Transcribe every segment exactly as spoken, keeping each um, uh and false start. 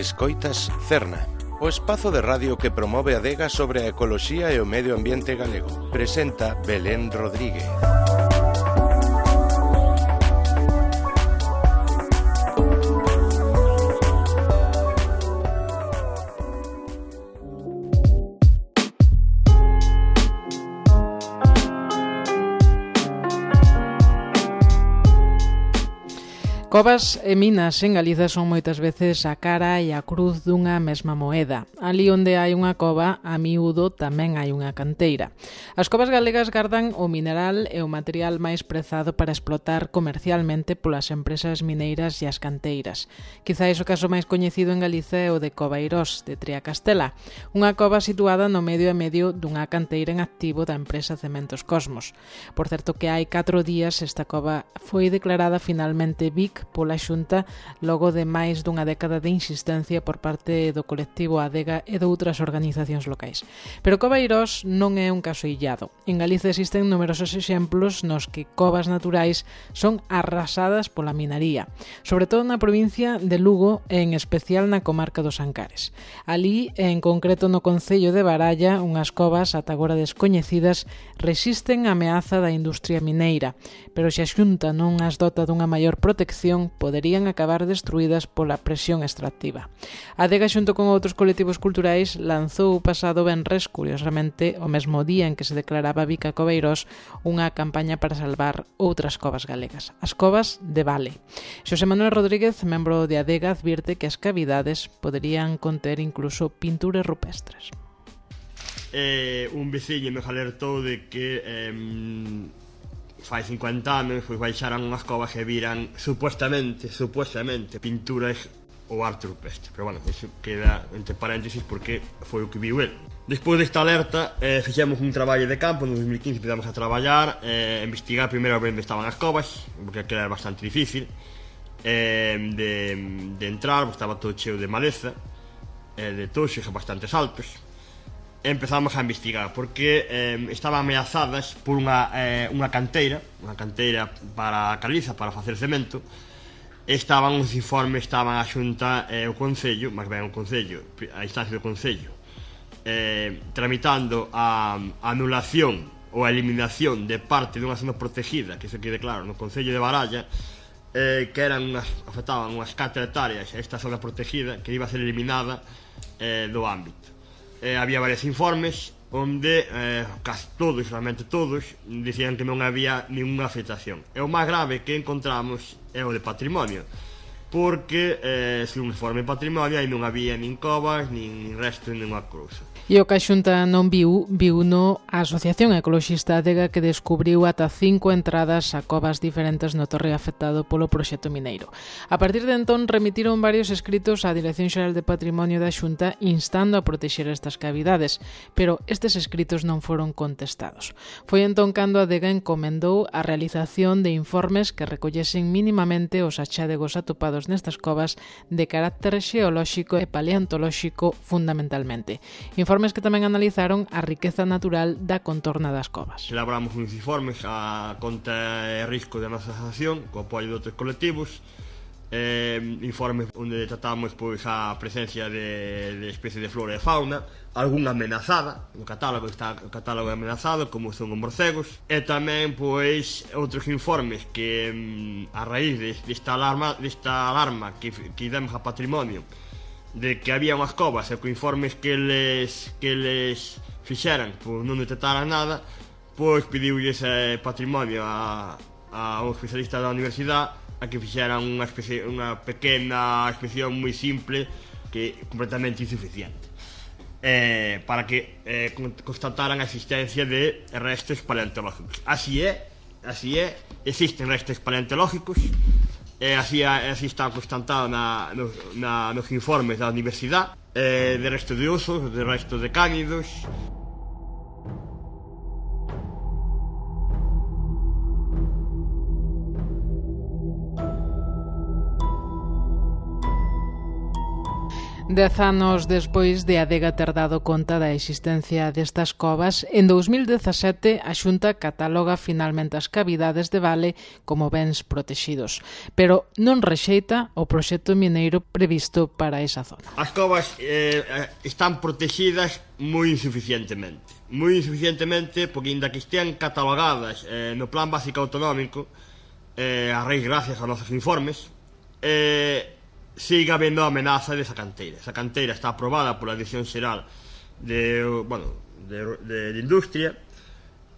Escoitas Cerna, o espazo de radio que promove a adega sobre a ecoloxía e o medio ambiente galego. Presenta Belén Rodríguez. Covas e minas en Galiza son moitas veces a cara e a cruz dunha mesma moeda. Ali onde hai unha cova, a miúdo tamén hai unha canteira. As covas galegas gardan o mineral e o material máis prezado para explotar comercialmente polas empresas mineiras e as canteiras. Quizais o caso máis coñecido en Galiza é o de Covairós, de Triacastela, unha cova situada no medio e medio dunha canteira en activo da empresa Cementos Cosmos. Por certo que hai catro días esta cova foi declarada finalmente V I C pola Xunta logo de máis dunha década de insistencia por parte do colectivo Adega e de outras organizacións locais. Pero Covairós non é un caso illado. En Galiza existen numerosos exemplos nos que covas naturais son arrasadas pola minaría, sobre todo na provincia de Lugo e en especial na comarca dos Ancares. Ali, en concreto no concello de Baralla, unhas covas ata agora descoñecidas resisten a ameaza da industria mineira, pero se a Xunta non as dota dunha maior protección poderían acabar destruídas pola presión extractiva. A Adega xunto con outros colectivos culturais lanzou o pasado venres, curiosamente, o mesmo día en que se declaraba V I C a Covairós, unha campaña para salvar outras covas galegas, as covas de Vale. Xosé Manuel Rodríguez, membro de Adega, advirte que as cavidades poderían conter incluso pinturas rupestres. Eh, un veciño me alertou de que eh, fai cincuenta anos pois baixaran unhas covas e viran supuestamente, supuestamente pinturas ou arte rupestre, pero bueno, iso queda entre paréntesis porque foi o que viu el. Despois desta alerta, eh, fixemos un traballo de campo, no dos mil quince empezamos a traballar, eh, investigar primeiro a ver onde estaban as covas, porque aquilo era bastante difícil eh, de, de entrar, porque estaba todo cheo de maleza, eh, de toxos bastantes altos. Empezamos a investigar porque eh, estaban ameazadas por unha, eh, unha canteira unha canteira para a caliza, para facer cemento. Estaban os informes, estaban a Xunta e eh, o Concello, máis ben o Concello, a instancia do Concello, eh, tramitando a, a anulación ou a eliminación de parte dunha zona protegida, que se quede claro, no Concello de Baralla, eh, que eran unhas, afectaban unhas catro hectáreas a esta zona protegida, que iba a ser eliminada eh, do ámbito. Eh, había varios informes onde eh, casi todos, realmente todos, dicían que non había ninguna afectación. E o máis grave que encontramos é o de patrimonio, porque eh, se un informe de patrimonio aí non había nin covas, nin resto, nin unha cousa. E o que a Xunta non viu, viu no a Asociación Ecoloxista Adega, que descubriu ata cinco entradas a covas diferentes no torre afectado polo proxecto mineiro. A partir de entón remitiron varios escritos á Dirección Xeral de Patrimonio da Xunta instando a protexer estas cavidades, pero estes escritos non foron contestados. Foi entón cando a Adega encomendou a realización de informes que recollesen mínimamente os achádegos atopados nestas covas de carácter xeolóxico e paleontolóxico fundamentalmente. Informes que tamén analizaron a riqueza natural da contorna das covas. Elaboramos uns informes a conta e risco da nosa asociación, co apoio de outros colectivos, eh, informes onde tratamos pois, a presencia de, de especies de flora e fauna, algunha amenazada, no catálogo está o catálogo amenazado, como son os morcegos, e tamén pois outros informes que a raíz desta alarma, desta alarma que, que demos a patrimonio, de que había unhas covas e co informes que les, que les fixeran pois non detectaran nada, pois pediulle ese patrimonio a, a un especialista da universidade a que fixeran unha, especie, unha pequena inspección moi simple que completamente insuficiente, eh, para que eh, constataran a existencia de restos paleontológicos. Así é, así é, existen restos paleontológicos. E así, así está constatado na, no, na, nos informes da universidade, eh, de resto de osos, de resto de cánidos. Dez anos despois de Adega ter dado conta da existencia destas covas, en dous mil dezasete a Xunta cataloga finalmente as cavidades de Vale como bens protexidos, pero non rexeita o proxecto mineiro previsto para esa zona. As covas eh, están protexidas moi insuficientemente, moi insuficientemente porque inda que estean catalogadas eh, no Plan Básico Autonómico, eh, a raíz gracias aos nosos informes, eh, siga habendo a amenaza desa canteira. Esa canteira está aprobada pola Dirección Xeral de, bueno, de, de, de Industria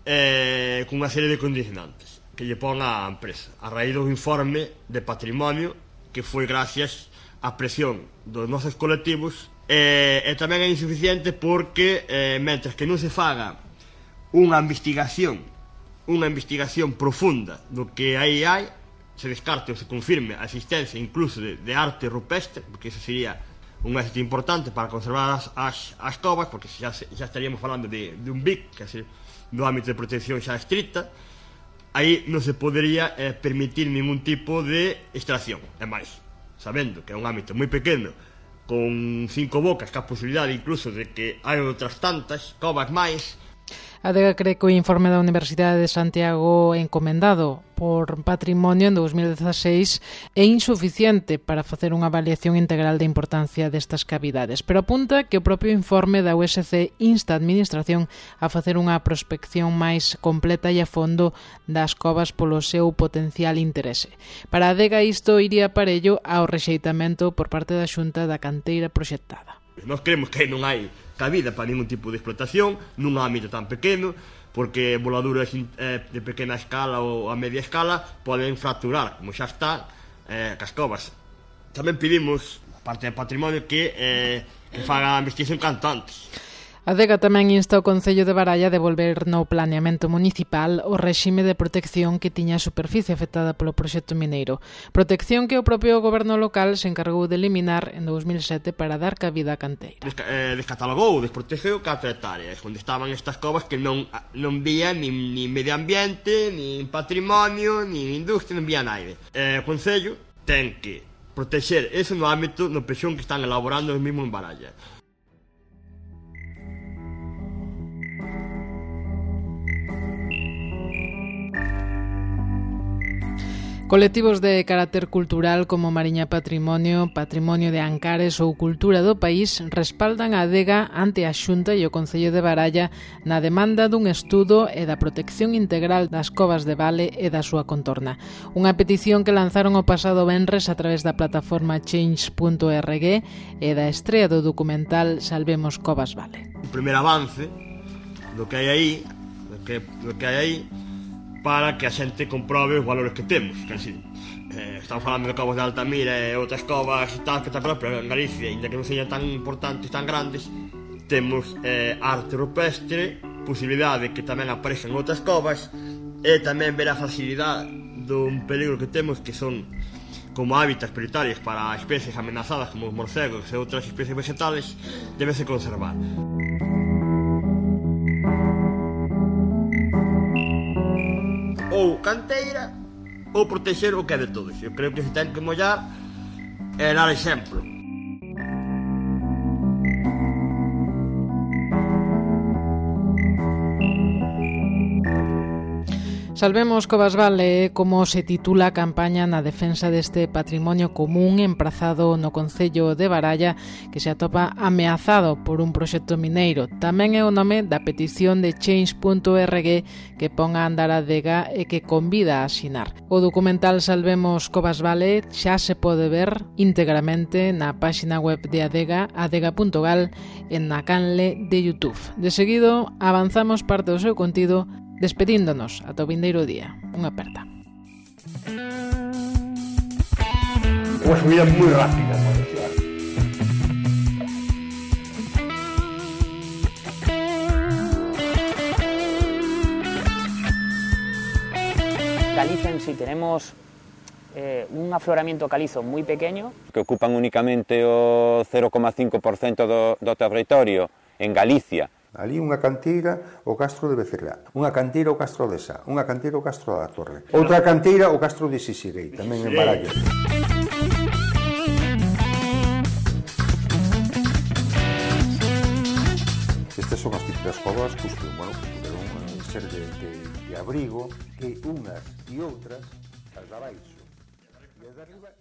eh, con unha serie de condicionantes que lle pon a empresa a raíz do informe de patrimonio que foi gracias á presión dos nosos colectivos eh, e tamén é insuficiente porque eh, mentres que non se faga unha investigación unha investigación profunda do que aí hai, se descarte ou se confirme a existencia incluso de, de arte rupestre, porque eso sería un éxito importante para conservar as, as, as covas, porque xa, xa estaríamos falando de, de un B I C, que é do ámbito de protección xa estricta, aí non se podería eh, permitir ningún tipo de extracción. E máis, sabendo que é un ámbito moi pequeno, con cinco bocas, que a posibilidade incluso de que hai outras tantas covas máis. A Adega cree que o informe da Universidade de Santiago encomendado por Patrimonio en dous mil dezaseis é insuficiente para facer unha avaliación integral da importancia destas cavidades, pero apunta que o propio informe da U S C insta a Administración a facer unha prospección máis completa e a fondo das covas polo seu potencial interese. Para a Adega isto iría parello ao rexeitamento por parte da Xunta da canteira proxectada. Nós creemos que non hai cabida para ningún tipo de explotación nun ámbito tan pequeno, porque voladuras eh, de pequena escala ou a media escala poden fracturar, como xa está, eh, cas covas. Tamén pedimos, a parte do patrimonio, que, eh, que faga a investigación canto antes. A Adega tamén insta o Concello de Baralla a devolver no planeamento municipal o réxime de protección que tiña a superficie afectada polo proxecto mineiro. Protección que o propio goberno local se encargou de eliminar en dous mil sete para dar cabida á canteira. Desca eh, descatalogou, desprotegeu catro hectáreas, onde estaban estas covas que non, non vía nin, nin medio ambiente, nin patrimonio, nin industria, non vía naide. Eh, o Concello ten que protexer eso no ámbito no pexón que están elaborando os mismos en Baralla. Colectivos de carácter cultural como Mariña Patrimonio, Patrimonio de Ancares ou Cultura do País respaldan a Adega ante a Xunta e o Concello de Baralla na demanda dun estudo e da protección integral das covas de Vale e da súa contorna. Unha petición que lanzaron o pasado venres a través da plataforma change punto org e da estrea do documental Salvemos Covas Vale. O primeiro avance do que hai aí, do que, do que hai aí, para que a xente comprobe os valores que temos, que así, eh, estamos falando de covas de Altamira e outras covas tan espectaculares, pero en Galicia, ainda que non sean tan importantes, tan grandes, temos eh, arte rupestre, posibilidade que tamén aparezcan outras covas, e tamén ver a facilidade dun peligro que temos, que son como hábitats prioritarios para especies amenazadas como os morcegos e outras especies vegetales, debese conservar. Ou canteira ou protexer o que é de todos. Eu creo que se ten que mollar e dar exemplo. Salvemos Covas Vale, como se titula a campaña na defensa deste patrimonio común emprazado no Concello de Baralla, que se atopa ameazado por un proxecto mineiro. Tamén é o nome da petición de change punto org que pon a andar a Adega e que convida a asinar. O documental Salvemos Covas Vale xa se pode ver íntegramente na páxina web de Adega, adega punto gal, en na canle de YouTube. De seguido, avanzamos parte do seu contido despedíndonos ata o vindeiro día. Unha aperta. Unha subida moi rápida, pode ser. Galicia en sí tenemos eh, un afloramiento calizo moi pequeño que ocupan únicamente o cero coma cinco por cento do, do territorio en Galicia. Ali unha canteira, o Castro de Becerrá, unha canteira, o Castro de Sá, unha canteira, o Castro da Torre, outra canteira, o Castro de Sisirei, tamén en Baralla. das covas pues, bueno, puderon ser de, de, de abrigo que unhas e outras as da baixo e as de arriba